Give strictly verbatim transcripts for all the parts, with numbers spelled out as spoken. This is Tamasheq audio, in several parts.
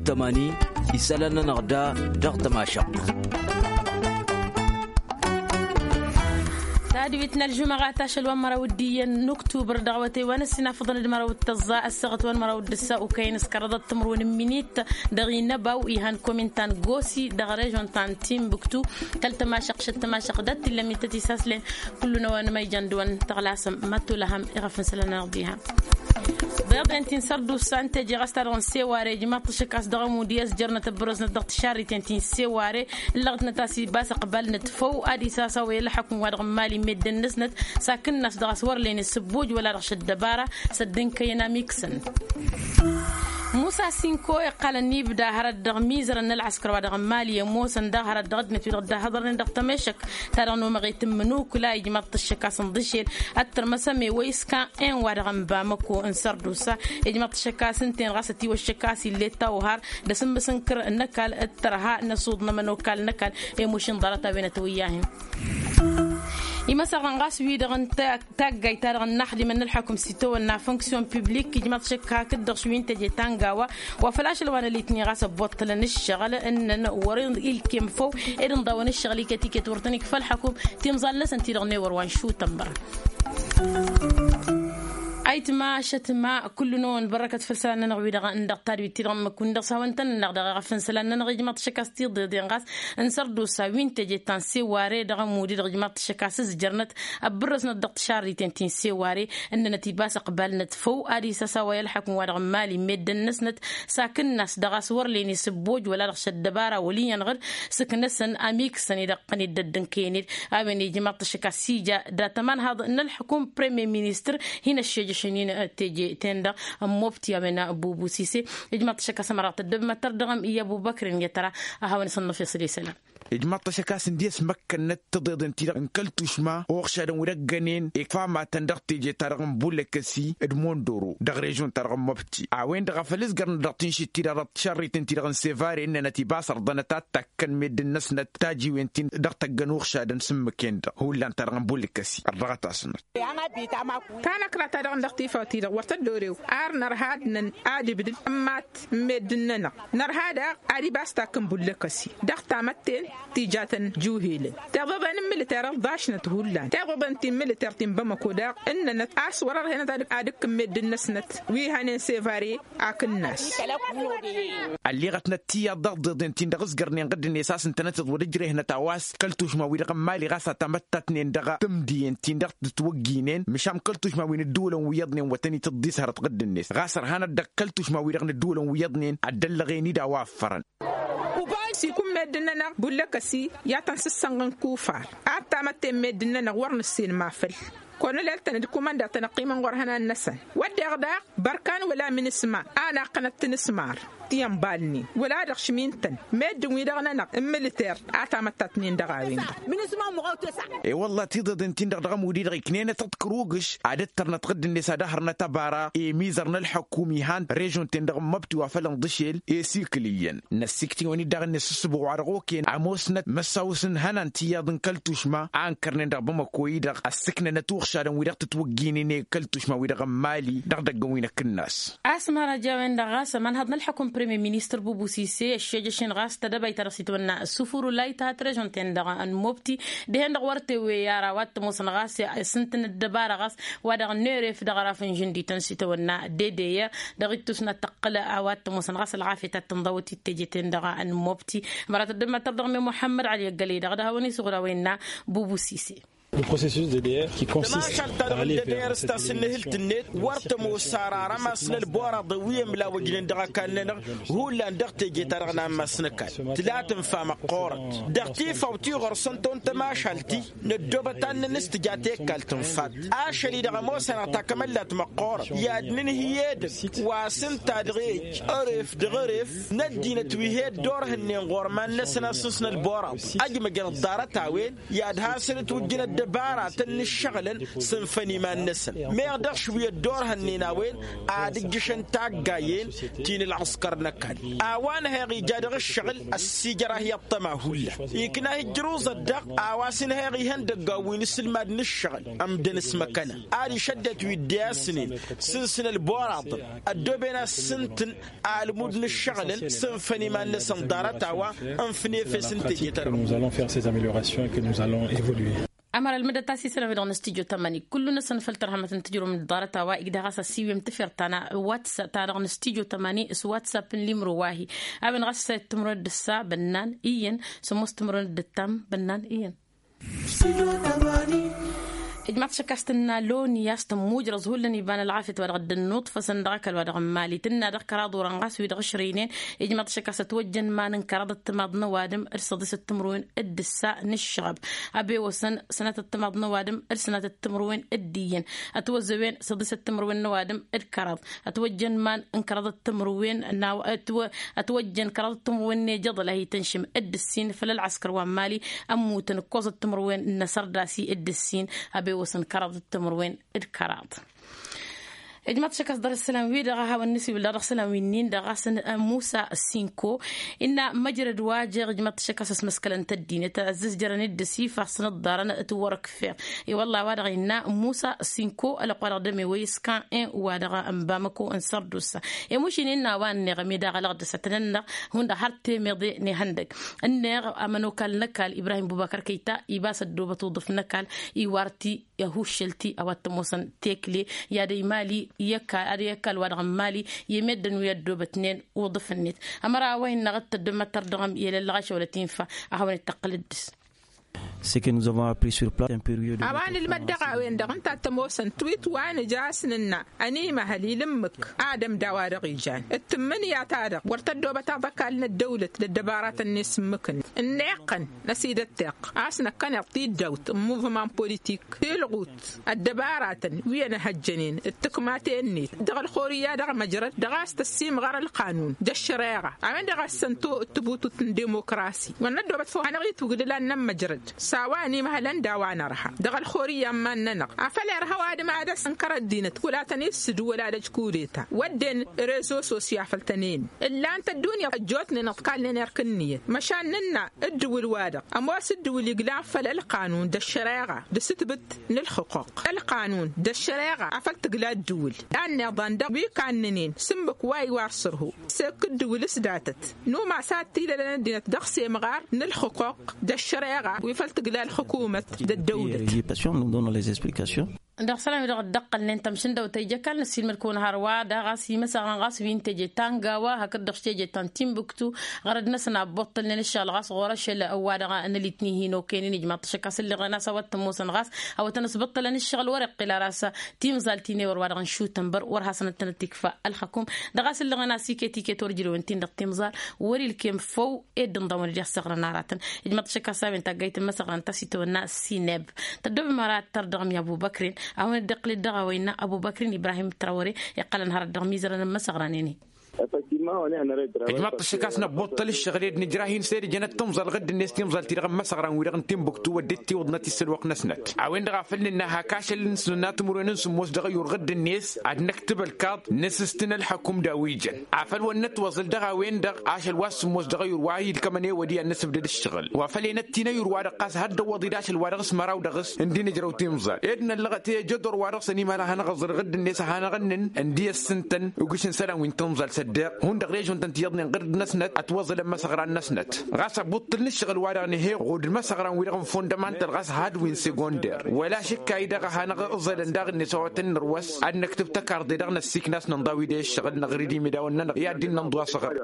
Tămani isălan-nănăɣ da dăɣ-tămašăɣt. Tadwit n-ălžumăɣat ašăl wa n-măraw d-iyyăn n-uktubăr dăɣ-awătay wa n-ăssinafăḍăn d-măraw d-tăẓẓa ăssaɣăt wa n-măraw d-ǝssa okăyăn s-kăraḍăt timǝrwen n-minit dăɣ-inăbaw ihăn komin ta n-gosi dăɣ-režon ta n-timbuktu. Kăl-tămašăɣt šăt tămašăɣt dat-t illa ǝmmit tăt-isaslen. Kullu n-a-wa n-măyjăn d-wa n-tăɣlasăm măttu lăhăm iɣăf n-isălan-nănăɣ diha. Ḍeḍen ti n-sărdusa ǝnta eje ɣas ta dăɣ-n seware ijmaḍ-t ašăk a-s dăɣ-ămud i-ăzjărnăt ăbbărăznăt dăɣ-tišarriten ti n-seware. Ǝllăɣ-tnăt a-s ibas ăqbal-năt făw ad-isasawăy ălxăkum wa dăɣ-n mali meddǝn-năsnăt s-akǝnnas dăɣ-a-s wăr len isǝbbuj wăla dăɣ-šăddăbara s-ăddǝnkăyăn amiksăn. Musa sinko iqqalăn ibda hărăt dăɣ-mizărăn n-ălɣăskăr wa dăɣ-n mali ămoosăn daɣ hărăt dăɣ-ăddinăt wi-dăɣ dd-ahăḍărnen dăɣ-temešăk ta dăɣ-nomăɣet n-imǝnukǝla ijmaḍ-t ăššăk a-s n-iḍǝšel ăttărmăsăm i-wăy s-kan en-wa-dăɣ n-bamăko n-sărdusa. Ijmaḍ-t ăššăk a-s ǝnta-en ɣas ătiwăššăk a-s ill'-e tawhar d-asǝmmǝs n-kăr n-ăkall d-tărha n-asuḍ n-ămănokal n-ăkall. I-mušǝn ḍarăt a-wen ătwăyyahen imăsăɣrăn ɣas wi-dăɣ n-taggayt-ta-dăɣ n-inaxdimăn n-ălxăkum s-itawănna fonksyon piblik ijmaḍ-t ăššăk hakd-dăɣ šwi n-teje ta n-gawa. Wa făl ašăl wa n-ălitni ɣas ăbboṭṭălăn ǝššăɣǝl ǝnnăn wăr-ilkem făw ed ǝnḍawăn ǝššăɣǝl iket iket wăr tăn-ikfa ălxăkum. Timẓal-năsăn ti-dăɣ n-ewăr wa n-šutănbăr. Ayǝtma ašătma kullu-năwăn bărrăkăt făll-isălan-nănăɣ wi-dăɣ n-dăɣ tadwit ti-dăɣ n-imǝkku n-dăɣ s-hawăn-tăn-nănăɣ dăɣ-eɣăf n-isălan-nănăɣ ijmaḍ-t ăššăk a-s tiḍeḍen ɣas n-sărdusa wi n-teje ta n-seware dăɣ-ămud-i-dăɣ ijmaḍ-t ăššăk a-s ǝzjărnăt ăbbărrăsnăt dăɣ-tišarriten ti n-seware. Ǝnnănăt ibas ăqbal-năt făw ad-isăsawăy ălxăkum wa dăɣ-n mali meddǝn-năsnăt s-akǝnnas dăɣ-a-s wăr len isǝbboj wăla dăɣ-šăddăbara wăl' iyyăn ɣǝd sǝknăsăn amiksăn-i-dăɣ ǝqqăn-dd ăddǝnkăyăn-dd. A-wen ijmaḍ-t ăššăk a-s ija dat-ămanhaḍ n-ălxǝkum premier ministăr hin-ăššejăšăn-in teje-ten-dăɣ n-mobti a-wen bubu sise. Ijmaḍ-t ăššăk a-s ămăraɣ tăddăbmăttăr dăɣ-ămmi i-ăbubăkr n-iyyăt ăra. A hawăn-isănnăfeṣ d-isălan. Ijmaḍ-t ăššăk a-s ǝndiyăs măkkănnăt tiḍeḍen-ti-dăɣ n-kăl-tušma uɣšadăn wi dăgg-ănen ikfa matăn dăɣ-teje-ta-dăɣ n-bulăkăsi d-mondoro dăɣ-režon-ta-dăɣ n-măbti. A-wen-dăɣ a făl ǝzgărnăt dăɣ-tinšit-ti-dăɣ dăɣ-tišărriten-ti-dăɣ n-sevare ǝnnănăt ibas ărḍănăt ad-takkăn meddǝn-năsnăt tajiwen-tin dăɣ-tăggăn uɣšadăn s-ǝmmǝk-en-dăɣ hullan-ta-dăɣ n-bulăkăsi. Ărḍăɣăt-asnăt. Tanăkra-ta-dăɣ dăɣ-tifawt-i-dăɣ wăr tăddorew ar nărha ad-năn ad-ibdǝd ămmat n-meddǝn-nănăɣ. Nărha daɣ ad-ibas takk n-bullăkăsi dăɣ-tamătten ti jatăn juhelăn. Tiḍeḍen n-militer ălḍašnăt hullan tiḍeḍen ti n-militer ti n-bamăko daɣ ǝnnănăt a-s wăr-ărhenăt ad-ǝkkǝn meddǝn-năsnăt wi hănen sevare. Akǝnnas. Ălleɣătnăt tiyyăḍ dăɣ-tiḍeḍen-tin-dăɣ ǝzgărnen ɣǝddǝnet a-s ǝntănăteḍ wăr-ǝjrehnăt a-wa s-kăl tušma-wi-dăɣ n-mali ɣas a tamăttatnen dăɣ-tǝmdiyen-tin-dăɣ tǝtwăgginen măšan kăl tušma wi n-ǝddǝwǝlăn wi iyyăḍnen wătăn-itǝḍḍis hărăt ɣǝddǝnet ɣas ărhanăt dăɣ-kăl tušma-wi-dăɣ n-ǝddǝwǝlăn wi iyyăḍnen. Ad-dd-ăllăɣen-dd a-wa ăffărăn. Sikun meddǝn-nănăɣ bullăkăsi i-ad-tăn-sǝssănɣăn kufar ad-tamătten meddǝn-nănăɣ wăr nǝssen ma făll-kăwăn-ăleltăn d-kumănda tăn-ăqqimăn ɣur-ihănan-năsăn. Wădden daɣ bărkan wăla minisma a naqqănăt tinǝsmar ti ănbalnen wăla dăɣ-šmin-tăn meddǝn-wi-dăɣ-nănăɣ n-militer a tamăttatnen dăɣ-a-wen-dăɣ. E-wălla tiḍeḍen-tin-dăɣ dăɣ-ămud-i-dăɣ iknenăt ăḍkăr ugǝš ad-ǝttărnăt ɣǝdd-net ad-ăhărnăt ăbara i-mizăr n-ălḥăkum ihan režon-ten-dăɣ n-măbtǝwa făll-ănḍǝšel i-sikǝl iyyăn. Năssiktǝwăn-dd daɣ-net s-ǝssǝboɣ wa dăɣ-okăyăn ămoosnăt măssaw-s n-ihănan tiyyăḍ n-kăl-tušma a ǝnkărnen dăɣ-bamăko-i-dăɣ ăssǝknănăt uɣšadăn-wi-dăɣ tǝtwăgginen i-kăl-tušma-wi-dăɣ n-mali dăɣ-idăggăn wi n-akǝnnas. A-s măraja a-wen-dăɣ ɣas ămanhăḍ n-ălḥăkum premier ministăr bubu sise ăššejăšen ɣas tadăbayt ta dăɣ-s itwănna sufur wăla ithat režon-ten-dăɣ n-mobti dihen-dăɣ wăr tewey ara wa t-ămoosăn ɣas s-ǝntǝn ăddăbara ɣas wa dăɣ-neref dăɣ-araf n-žǝndităn s-itwănna dedeyăr dăɣ-ittus n-ad-tăqqǝl a-wa t-ămoosăn ɣas ălɣafyăt ad-tǝnḍăwăt i-teje-ten-dăɣ n-mobti. Mărat ăddămăttăr dăɣ-me muḥămmăd ali ăggălăy-dăɣ d-ad-hawăn-isuɣǝl a-wa innă bubu sise. Tămašalt-ta-dăɣ n-dăder s-tasǝnnǝhǝlt-net wăr tămoos ara arămas n-ălboraḍăn wi ămlawăjnen dăɣ-ăkall-nănăɣ. Hullan dăɣ-teje-ta-dăɣ n-ammas n-ăkall tǝla tǝnfa măqqoorăt dăɣ-tifaw ti ɣur-săn tăwăn tămašalt-i năddoobăt ad-nǝnǝstǝj ad-t-e-ăkall tǝnfat. Ašăl-i-dăɣ ămoos-anăɣ takămăllat măqqoorăt i-ad-nǝnhǝy edăgg wa s-ǝnta dăɣ-e-ăj ăref dăɣ-ăref n-ăddinăt wi he-dd-orhǝnnen ɣur-iman-năsăn a-s n-ăsnălboraḍ. Ăjmăjăn ăḍḍarăt a-wen i-ad-hasăn-ǝtwǝjjǝn ăddăbara. Baratăn n-ǝššăɣǝlăn s-ǝnfăn iman-năsăn meɣ dăɣ-šwi ăddoorhănnen a-wen ad-ǝjjǝšăn taggayen ti n-ǝlɣǝskăr n-ăkall. A-wa n-heɣ ija dăɣ-ǝššăɣǝl ăssiijăr-ahi ăṭṭăma hullan ikna hǝjjăruẓăt-dăɣ. A-wa s-ǝnheɣ ihăndăggan wi n-asǝlmad n-ǝššăɣǝl ămdăn s-măkăna ad-išăddăt wi dd-e-asǝnen s-ǝnsǝn ălboraḍăn ăddooben a-s s-ǝntǝn almud n-ǝššăɣǝlăn s-ǝnfăn iman-năsăn ḍarăt-a-wa ǝnfăn efes n-teje-ta-dăɣ. Nous allons faire ces améliorations et que nous allons évoluer. Ămăra ălmǝdăt a-s isălan-wi-dăɣ n-studyo tămani kullu-năsăn făll-tărhămăt n-tijrǝwăm d-ḍarăt-a-wa igdăɣ a-s ăsiwǝyăm tafert ta n-whatsapp ta dăɣ-n studyo tămani s-whatsapp n-limro wa-hi. A-wen ɣas săyăt timǝrwen d-ǝssa bănnan iyyăn sămoos timǝrwen d-ǝttam bănnan iyyăn. Ijmaḍ-t šăkk a-s tǝnna loni a-s tămmujrăẓ hullan iba n-ălɣafyăt wa dăɣ-dd-ănnuṭfăsăn dăɣ-ăkall wa dăɣ-n mali tǝnna dăɣ-kăraḍ orăn ɣas wi-dăɣ ǝšrăynen. Ijmaḍ-t šăkk a-s ătwăjjăn iman n-kăraḍ ăttămaḍ n-ăwadǝm d-săḍisăt timǝrwen d-ǝssa n-ǝššăɣăb. Abewăsăn sănatăt timaḍ n-ăwadǝm d-sănatăt timǝrwen d-iyyăn. Ătwăzăwen săḍisăt timǝrwen n-ăwadǝm d-kăraḍ. Ătwăjjăn iman n-kăraḍăt timǝrwen n-awa ătwăjjăn kăraḍăt timǝrwen n-ejăḍăl a hi-tănšǝm d-ǝssin făll-ălɣăskăr wa n-mali. Ămmutăn ǝkkoẓăt timǝrwen n-asărdasi d-ǝssin. Abewăsăn kăraḍăt timǝrwen d-kăraḍ. Ijmaḍ-t šăkk a-s dăr-isălan-wi-dăɣ a hawăn-nǝsiwǝl dăɣ-isălan-wi-nin-dăɣ a-s musa sinko. Innă măjrăd wa jeɣ ijmaḍ-t šăkk a-s ăsmăskălăn tăddinăt ăzzăzjărăn d-ǝsif a-s nǝḍḍarăn tiwărăkfer. I-wălla a-wa-dăɣ innă musa sinko ălăqq wa dăɣ-dăme wăy s-kan-en wa dăɣ-n bamăko n-sărdusa. Emušin innă a-wa ǝnneɣ ămidaɣ ălăɣdăs ătnănnăɣ hundăɣ har temeḍe n-ihăndăg. Ǝnneɣ ămănokal n-ăkall ibrahim bubăkăr kăyta ibas ăddoobăt uḍǝf n-ăkall iwar ti i-ahuššăl ti a-wa t-ămoosăn tekle i-ad-ăymali i-ăkall ad-i-ăkall wa dăɣ-n mali. I-meddǝn wi ăddoobătnen uḍǝf-net ămăra a-wa innăɣ d-tăddămăttăr dăɣ-m i-lăllăɣašăwălăt infa. A hawăn-dd-tăqqǝl dd-s. Ce que nous avons appris sur place un période. A-wa nǝlmăd dăɣ-a-wen-dăɣ ǝnta t-ămoosăn twit wa nǝja a-s nǝnna ănimăhăl ilǝmmǝk ad-ămda wa dăɣ-ijan d-tǝmmǝnǝya-ta-dăɣ wăr tăddoobăt aḍăkal n-ăddăwlăt d-ăddăbaratăn n-esǝmmǝkǝn ǝnneqqăn n-ăsidătteɣ a-s năkkăneḍ tiddawt n-muvman politik tilɣut ăddăbaratăn wi ănhăjjănen d-tǝkmaten-net dăɣ-ălxorǝyya dăɣ-măjrăd dăɣ-a-s tăssimɣăr ălqanun d-ăššăreɣa. A-wen-dăɣ a s-săn tubutut n-dimokrasi wăr năddoobăt făw hanăɣ-itwǝgdǝla n-inămmăjrăd s-a-wa ănimăhălăn d-a-wa nărha dăɣ-ălxorǝyya n-iman-nănăɣ. Afăl irha ăwadǝm ad-dăɣ-s ǝnkăr ăddinăt wăla tăn-issǝdǝw wăla dăj-kudeta wădden rezo sosya făll-tăn-en ǝllan-t ăddunya ăjjootnen ăḍkalnen erk ǝnniyăt măšan nǝnna ǝddǝwǝl-wa-dăɣ ămoos ǝddǝwǝl iglan făll-ălqanun d-ăššăreɣa d-asǝtbǝt n-ǝlxǝquq ălqanun d-ăššăreɣa afăl tǝgla ăddǝwǝl. Anniḍan dăɣ-wi kannănen s-ǝmmǝk wa iwar sărhu s-ekk ǝddǝwǝl s-datăt n-umas ad-t-ilălăn ăddinăt dăɣ-semɣar n-ǝlxǝquq d-ăššăreɣa wi făl tǝgla ălxǝkumăt d-ăddăwlăt. Dăɣ-isălan-wi-dăɣ dd-ăqqălnen tămšǝndăwt ta ija ăkall n-ăssiilmăd-kăwăn hărwa daɣ a-s imăsăɣran ɣas wi n-teje ta n-gawa hakd-dăɣ s-teje ta n-timbuktu. Ɣărăd-năsăn abboṭṭălnen ǝššăɣǝl ɣas ɣur-ašăl ăwwa-dăɣ n-ălitni hin-okăynen ijmaḍ-t ašăk a-s ǝlleɣen a-s a-wa t-ămoosăn ɣas a-wa tăn-ăsbăṭṭălăn ǝššăɣǝl wăr-iqqǝl ara a-s timẓalt-i n-ewăr wa dăɣ-n šutănbăr wăr hasăn-ăttănăt ikfa ălxăkum. Dăɣ-a-s ǝllăɣăn a-s iket-iket wăr ǝjrewăn-t-in dăɣ-timẓal wăr-ilkem făw ed ǝnḍăwăn d-i-ăssăɣrăn aratăn. Ijmăḍ-t šăkk a-s a-wen taggayt n-imăsăɣrăn ta s-itawănna sineb tăddoobem ara ad-tărdăɣăm i-ăbubăkrin. A hawăn-dd-iqqǝl-dd dăɣ-a-wa innă ăbubăkrin ibrahim trawăre iqqălăn hărăt dăɣ-imizărăn n-imăsăɣrăn-en-i. Ijmăḍ-t šăkk a-s năbbuṭṭăl ǝššăɣǝl ed nǝjrah-in s-ed ǝjănăt timẓal ɣǝdd-net timẓal-ti-dăɣ n-imăsăɣran-wi-dăɣ n-timbuktu wădden tiwǝḍnăt isăl wăqq-năsnăt. A-wen-dăɣ a făl nǝnna hak ašăl n-sǝnna timǝrwen n-sǝmmos dăɣ-ăyur ɣǝdd-net ad-năktǝb ălkaḍ n-asǝstǝn ălxăkum d-a-wi jăn afăl wăr nătwăẓǝl dăɣ-a-wen-dăɣ ašăl wa s-sǝmmos dăɣ-ăyur wa ilkămăn ewăd i-ad-năsǝbdăd ǝššăɣǝl wa făl enăt-t-in ăyur wa dăɣ-ɣas had-dd-ăwwăḍ-dd ašăl wa dăɣ-s măraw dăɣ-s ǝndi nǝjrăw timẓal ed năllăɣăt i-ejădor wa dăɣ-s ănimăhăl a hanăɣ-ăẓrăɣ dd-net a hanăɣ-ǝnnǝn ǝndi ăssǝntăn ugǝš n-isălan wi n-timẓal s-ăddeɣ hundăɣ režon-tăn tiyyăḍnen ɣǝrǝd-năsnăt ătwăẓǝlăn imăsăɣran-năsnăt. Ɣas ăbuṭṭǝl n-ǝššăɣǝl-wa-dăɣ nǝheɣ ɣud imăsăɣran-wi-dăɣ n-fondămantăl ɣas had wi n-segonder wăla šǝkka-i-dăɣ a hanăɣ-ǝẓălăn daɣ-net a-wa tăn-nărwăs ad-năktǝb takarḍe-dăɣ n-ăssiiknas nǝnḍa wi d-e-ǝššăɣǝl năɣri d-imidawăn-nănăɣ i-ad-dd-innă n-ḍu-asăɣrăd.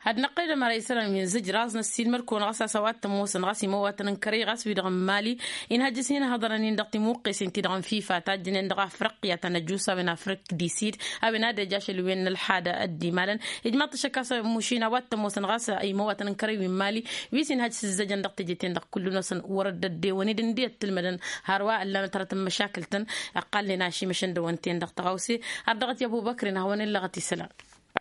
Ad-năqqălăd ămăra isălan wi n-zǝjraẓ n-ăssiilmăd-kăwăn ɣas a-s a-wa t-ămoosăn ɣas imăwatăn n-kărăy ɣas wi-dăɣ n-mali inhăjjăs hin-hăḍărăn-in dăɣ-timuqqesen-ti-dăɣ n-fifa tajjănen dăɣ-afriqya ta n-ăjjusawen afrik disid. A-wen ad-ej ašăl-wen n-ălxadă ăddimalăn ijmaḍ-t ašăk a-s mušin a-wa t-ămoosăn ɣas imăwatăn n-kărăy wi n-mali wi s-inhăjj s-ǝzzăjăn dăɣ-teje-ten-dăɣ kullu-năsăn wăr-dd-ăddewăn-dd ǝndi ăttǝlmădăn hărwa ǝllanăt hărăt n-măšakǝl-tăn. Ăqqalnen ašimăšăn dăɣ-wăn-ten-dăɣ tăɣawse har dăɣ-t i-ăbubăkrin a hawăn-ǝllăɣăt isălan.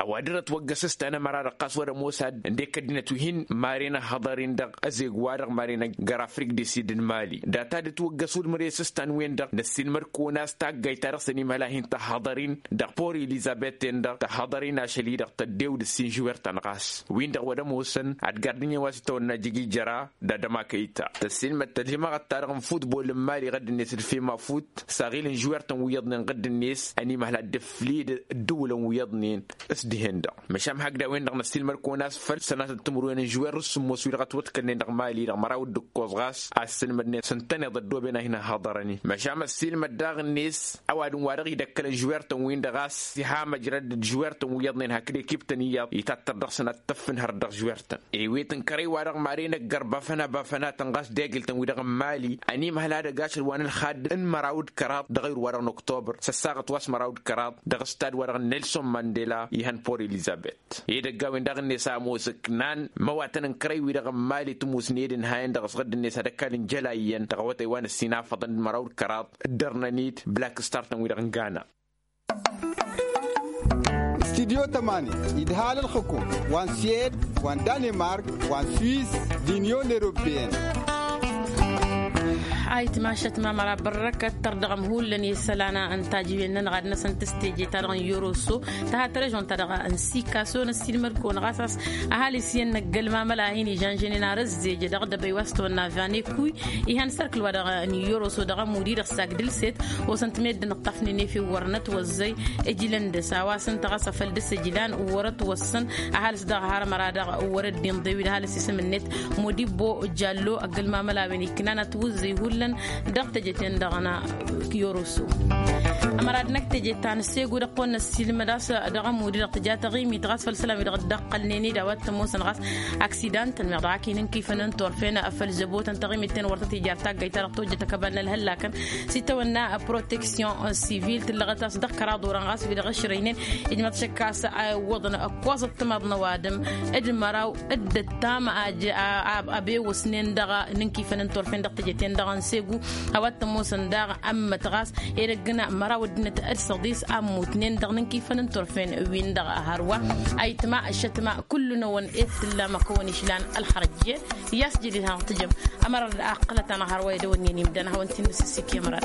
ăwadǝm ătwăggăs s-tanămăra-dăɣ ɣas wăr-ămoos ad-ǝndek ăddinăt wi hin-maren ăhhăḍăr-in-dăɣ ăzeg-wa-dăɣ maren ăgg-ăra afrik d-isidǝn mali data d-ǝtwăggăs ulmăres s-tan wen-dăɣ năssiilmăd-kăwăn a-s taggayt-ta-dăɣ s-ănimhăl a hin-tăhhăḍăr-in dăɣ-pori elizăbet-ten-dăɣ tăhhăḍăr-in ašăl-i-dăɣ tăddew d-ǝssin žwer-tăn ɣas win-dăɣ wăr-ămoosăn ad-gardǝnyen wa s-itawănna jig ijăra d-ad-ămakăyta tăssiilmăd tălhimăɣăt-ta-dăɣ n-futbol n-mali ɣǝdd-net d-fema fut s-aɣil n-žwer-tăn wi iyyăḍnen ɣǝdd-net ănimhăl ad-dd-ǝflid ǝddǝwǝlăn wi iyyăḍnen s-dihen-dăɣ. Măšan hakd a-wen-dăɣ năssiilmăd-kăwăn a-s făll-sănatăt timǝrwen n-žwer s-sǝmmos wi-dăɣ ătwăḍkălnen dăɣ-mali dăɣ-măraw d-ǝkkoẓ ɣas a ǝssǝlmădnen s-ǝntăneḍ ăddooben a hin-ăhhăḍărăn-in măšan ăssiilmăd daɣ-net ăwadǝm wa dăɣ-idăkkălăn žwer-tăn-win-dăɣ a-s iha măjrăd d-žwer-tăn wi iyyăḍnen hakd ekip-tăn iyyăḍ itattăr dăɣ-săn ad-t-ăffǝnhăr dăɣ-žwer-tăn. Ewet n-kărăy-wa-dăɣ maren ăggărbafăn abafănatăn ɣas d-egǝl-tăn-wi-dăɣ n-mali ănimhăl ad-ăgg ašăl wa n-ălxad n-măraw d-kăraḍ dăɣ-ayǝr-wa-dăɣ n-oktobăr s-ăssaɣăt wa s-măraw d-kăraḍ dăɣ-ǝstad-wa-dăɣ n-nelson mandela ihăn port elizăbet. Edăgg a-wen daɣ-net a ămoos ǝknan măwatăn n-kărăy-wi-dăɣ n-mali tǝmmusne d-ǝnhayăn dăɣ-s ɣǝdd-net ad-ăkall n-jăla iyyăn dăɣ-awătay wa n-ǝssin afăḍăn d-măraw d-kăraḍ dd-ărnăn-dd black star-tăn-wi-dăɣ n-gana. Studyo tămani idhal ălxǝkum wa n-siyed wa n-danemark wa n-swiss d-inyon europeyăn. Ayǝtma ašăt ma măra bărrăkăt tărdăɣăm hullan i-isălan n-tajǝwen-nănăɣ ad-năsăn tǝsteje-ta-dăɣ n-yoroso tăha tărăžon-ta-dăɣ n-sikaso năssiilmăd-kăwăn ɣas a-s ăhalǝs iyyăn n-ăggălmamăl a hin-ižănžănen ar ăzzejădăɣ dăbăy wa s-tăwănna vaneku. Ihăn sărkǝl-wa-dăɣ n-yoroso dăɣ-amudi dăɣ-s agdǝl-set osăn-t meddǝn ǝṭṭafnen efew wăr nătwăzzăy. Ǝjlăn dăɣ-s a-wa s-ǝnta ɣas afăl dăɣ-s ǝjlan wăr-ătwăssăn. Ăhalǝs dăɣ-har măra dăɣ-wăr-ăddinḍew-dd ăhalǝs isǝm-net modibbo jallo ăggălmamăl a-wen iknan ătwǝzzăy hullan dăɣ-teje-ten-dăɣ n-yoroso. Ămăra d-năkk teje ta n-segu dăɣ-kăwăn-năssiilmăd a-s dăɣ-amudi dăɣ-tǝja taɣimit ɣas făll-isălan wi dăɣ-dd-ăqqălnen-dd a-wa t-ămoosăn ɣas aksidantăn meɣ dăɣ-ak hin-ǝnkifăn n-turfen făll-zăbotăn taɣimit-ten wăr tăt-ija ar taggayt-ta-dăɣ tojjăt ăkăbal n-ălhăllakăn s-itawănna proteksyon sivil tǝllăɣăt a-s dăɣ-kăraḍ orăn ɣas wi dăɣ-ăšrăynen. Ijmăḍ šăkk a-s a iwwăḍăn ǝkkoẓăt timaḍ n-ăwadǝm d-măraw d-ǝttam abewăsnen dăɣ-inǝnkifăn n-turfen dăɣ-teje-ten-dăɣ n-segu. A-wa t-ămoosăn daɣ ămmăt ɣas edăgg n-măraw ăddinăt d-săḍis a ămmutnen dăɣ-inǝnkifăn n-turfen win-dăɣ hărwa. Ayǝtma ăššătma kullu-năwăn ed t-ǝllam ad-kăwăn-išlan ălxărăt. I-a-s jadid hanăɣ-tǝjăm ămăra d-aqqălăt-anăɣ hărwa edăwănni ănimdăn ad-hawăn-t-innă s-ǝssikǝy ămăra.